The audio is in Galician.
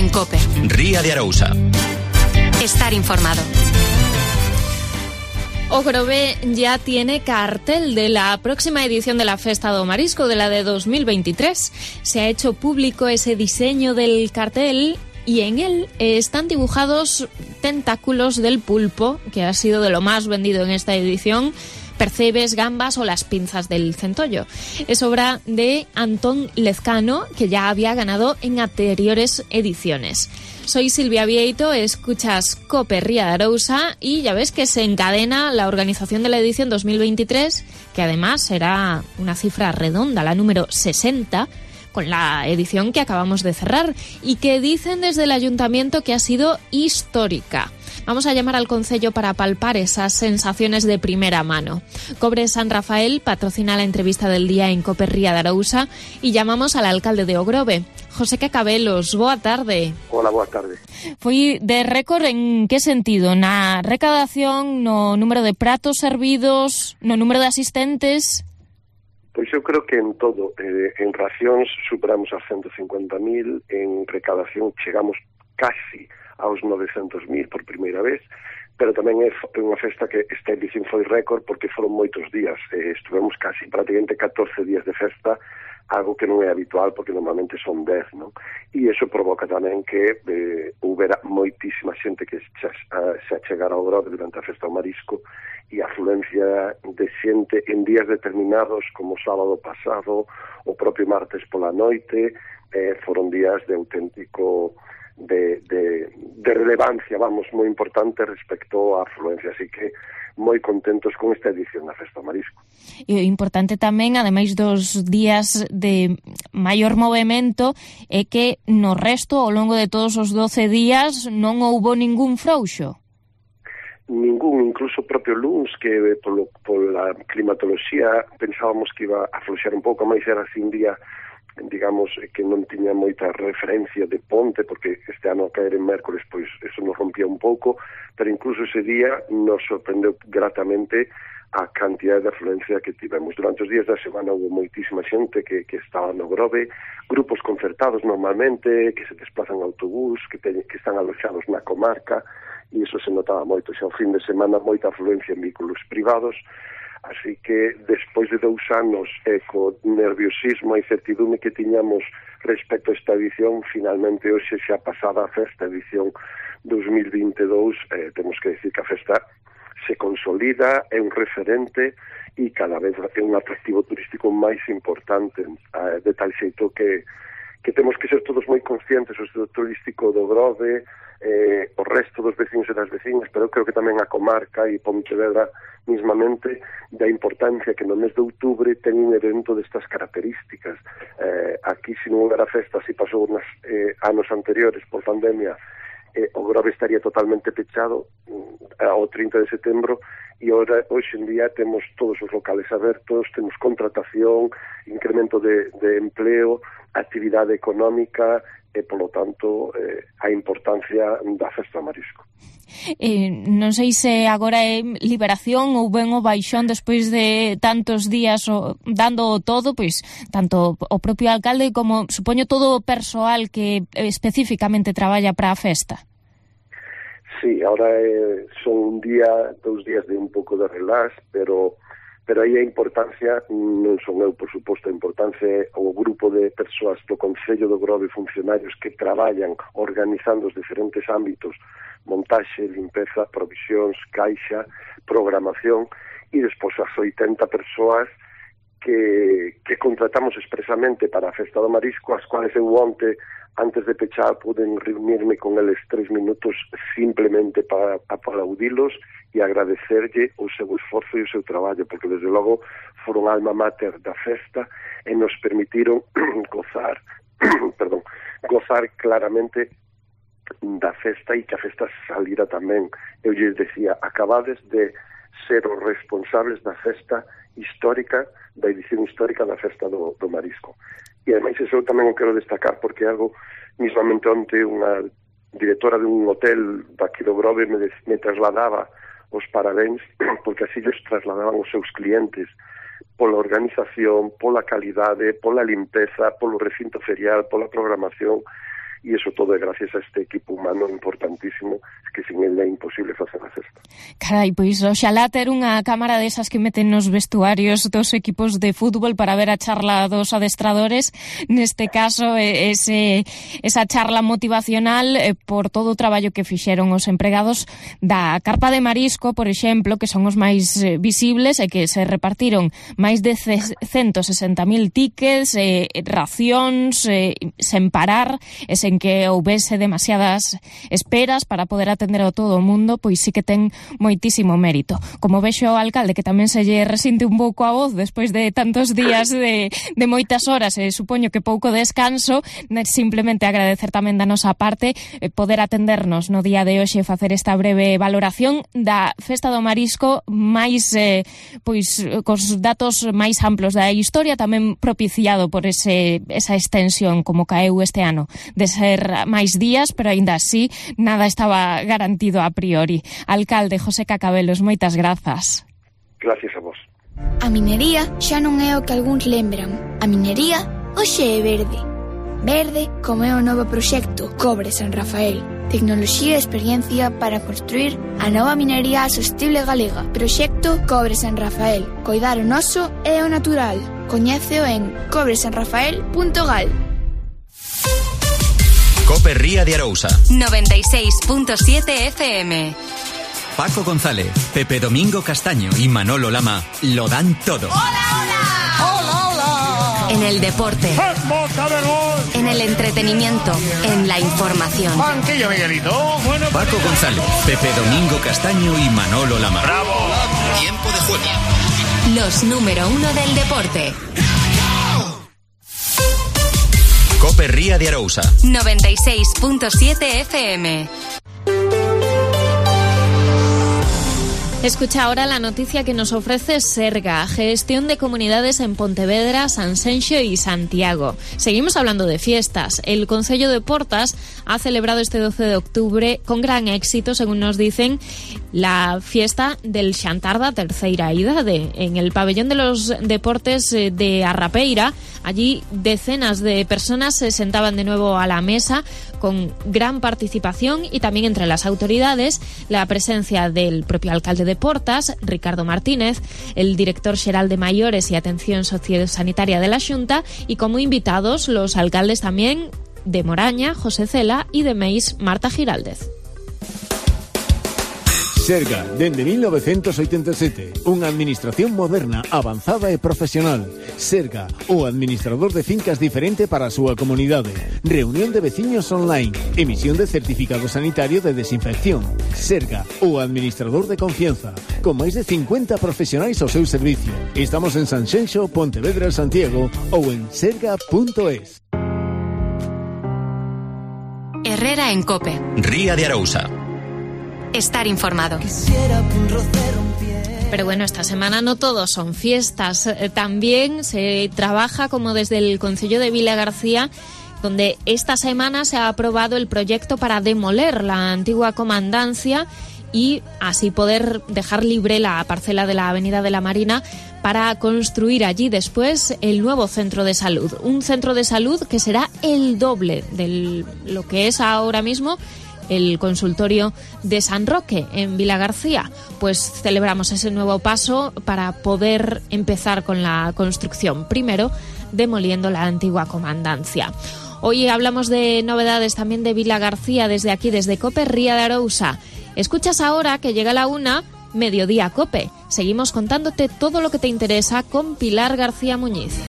en COPE. Ría de Arousa. Estar informado. O Grove ya tiene cartel de la próxima edición de la Festa do Marisco, de la de 2023. Se ha hecho público ese diseño del cartel y en él están dibujados tentáculos del pulpo, que ha sido de lo más vendido en esta edición, percebes, gambas o las pinzas del centollo. Es obra de Antón Lezcano, que ya había ganado en anteriores ediciones. Soy Silvia Vieito, escuchas COPE Ría de Arousa y ya ves que se encadena la organización de la edición 2023, que además será una cifra redonda, la número 60, con la edición que acabamos de cerrar y que dicen desde el ayuntamiento que ha sido histórica. Vamos a llamar al concello para palpar esas sensaciones de primera mano. Cobre San Rafael patrocina la entrevista del día en COPE Ría de Arousa y llamamos al alcalde de O Grove, José Cacabelos. Boa tarde. Hola, boa tarde. Foi de récord en que sentido? Na recadación, no número de pratos servidos, no número de asistentes? Pois eu creo que en todo. En racións superamos as 150.000, en recadación chegamos casi aos 900.000 por primeira vez, pero tamén é unha festa que esta edición foi récord porque foron moitos días. Estuvemos casi prácticamente 14 días de festa, algo que non é habitual porque normalmente son 10, non? E iso provoca tamén que houbera moitísima xente que se achegara ao Grove durante a festa ao Marisco e a afluencia de xente en días determinados como o sábado pasado, o propio martes pola noite, foron días de auténtico de relevancia, vamos, moi importante respecto á afluencia, así que moi contentos con esta edición da Festa do Marisco. E importante tamén, ademais dos días de maior movimento, é que no resto, ao longo de todos os 12 días, non houbo ningún frouxo. Ningún, incluso o propio luns, que pola climatoloxía pensábamos que iba a afloxar un pouco máis, era así un día, digamos, que non tiña moita referencia de ponte, porque este ano a caer en mércores, pois eso nos rompía un pouco, pero incluso ese día nos sorprendeu gratamente a cantidad de afluencia que tivemos. Durante os días da semana houve moitísima xente que estaba no Grove, grupos concertados normalmente, que se desplazan en autobús, que están aloxados na comarca, e iso se notaba moito. Xa o fin de semana moita afluencia en vehículos privados, así que despois de 2 anos co nerviosismo e incertidume que tiñamos respecto a esta edición, finalmente hoxe xa pasada a festa edición 2022, temos que decir que a festa se consolida, é un referente e cada vez é un atractivo turístico máis importante, de tal xeito que temos que ser todos moi conscientes o sector turístico do Grove, o resto dos vecinos e das vecinas, pero creo que tamén a comarca e Pontevedra mismamente da importancia que no mes de outubro ten un evento destas características. Aquí, se non houbera festa, se pasou nos anos anteriores por pandemia, o Grove estaría totalmente pechado ao 30 de setembro e hoxe en día temos todos os locales abertos, temos contratación, incremento de empleo, actividade económica e, polo tanto, a importancia da Festa do Marisco. Non sei se agora é liberación ou ben o baixón despois de tantos días dando todo, pois tanto o propio alcalde como, supoño, todo o persoal que especificamente traballa para a festa. Sí, ahora son 2 días de un pouco de relax, pero aí a importancia non son eu, por suposto, a importancia é o grupo de persoas do Concello do Grove, funcionarios que traballan organizando os diferentes ámbitos, montaxe, limpeza, provisións, caixa, programación, e despois as 80 persoas que contratamos expresamente para a Festa do Marisco, as cuales eu onte, antes de pechar, puden reunirme con eles 3 minutos simplemente para aplaudilos e agradecerlle o seu esforzo e o seu traballo, porque desde logo foron alma mater da festa e nos permitiron gozar claramente da festa e que a festa salira tamén. Eu lles decía, acabades de ser os responsables da festa histórica, da edición histórica da Festa do Marisco. E ademais iso tamén o quero destacar porque algo, mismamente onte unha directora de un hotel daqui do Grove me trasladaba os parabéns porque así lles trasladaban os seus clientes pola organización, pola calidade, pola limpeza, polo recinto ferial, pola programación, e iso todo é gracias a este equipo humano importantísimo, que sin ele é imposible facer a cesta. Carai, pois oxalá ter unha cámara desas que meten nos vestuarios dos equipos de fútbol para ver a charla dos adestradores, neste caso esa charla motivacional por todo o traballo que fixeron os empregados da carpa de marisco, por exemplo, que son os máis visibles e que se repartiron máis de 160.000 tickets, racións, sen parar, e sen que houbese demasiadas esperas para poder atender a todo o mundo, pois sí que ten moitísimo mérito. Como vexo o alcalde que tamén se lle resinte un pouco a voz despois de tantos días de moitas horas e supoño que pouco descanso, simplemente agradecer tamén da nosa parte poder atendernos no día de hoxe e facer esta breve valoración da Festa do Marisco máis pois cos datos máis amplos da historia, tamén propiciado por esa extensión como caeu este ano de ser máis días, pero aínda así nada estaba garantido a priori. Alcalde José Cacabelos, moitas grazas. Gracias a vos. A minería xa non é o que algúns lembran. A minería hoxe é verde. Verde como é o novo proxecto Cobre San Rafael. Tecnoloxía e experiencia para construir a nova minería sostible galega. Proxecto Cobre San Rafael. Coidar o noso e o natural. Coñéceo en cobresanrafael.gal. Cope Ría de Arousa 96.7 FM. Paco González, Pepe Domingo Castaño y Manolo Lama lo dan todo. ¡Hola, hola! ¡Hola, hola! En el deporte, en el entretenimiento, en la información. Banquillo, Miguelito. Bueno, Paco González, Pepe Domingo Castaño y Manolo Lama. ¡Bravo! Tiempo de juego. Los número 1 del deporte. Cope Ría de Arousa 96.7 FM. Escucha ahora la noticia que nos ofrece Serga, gestión de comunidades en Pontevedra, Sanxenxo y Santiago. Seguimos hablando de fiestas. El Concello de Portas ha celebrado este 12 de octubre con gran éxito, según nos dicen, la fiesta del Xantarda terceira idade en el pabellón de los deportes de Arrapeira. Allí decenas de personas se sentaban de nuevo a la mesa con gran participación y también entre las autoridades la presencia del propio alcalde de Portas, Ricardo Martínez, el director xeral de Maiores y Atención Sociosanitaria de la Xunta, y como invitados los alcaldes también de Moraña, José Cela, y de Meis, Marta Giraldez. Serga, dende 1987, unha administración moderna, avanzada e profesional. Serga, o administrador de fincas diferente para a súa comunidade. Reunión de veciños online, emisión de certificado sanitario de desinfección. Serga, o administrador de confianza, con máis de 50 profesionais ao seu servicio. Estamos en Sanxenxo, Pontevedra, Santiago ou en serga.es. Herrera en Cope. Ría de Arousa. Estar informado. Pero bueno, esta semana no todos son fiestas. También se trabaja como desde el Concello de Vilagarcía, donde esta semana se ha aprobado el proyecto para demoler la antigua comandancia y así poder dejar libre la parcela de la Avenida de la Marina para construir allí después el nuevo centro de salud. Un centro de salud que será el doble de lo que es ahora mismo el consultorio de San Roque en Vilagarcía. Pues celebramos ese nuevo paso para poder empezar con la construcción, primero demoliendo la antigua comandancia. Hoy hablamos de novedades también de Vilagarcía desde aquí, desde Cope Ría de Arousa. Escuchas ahora que llega la 1, Mediodía Cope. Seguimos contándote todo lo que te interesa con Pilar García Muñiz.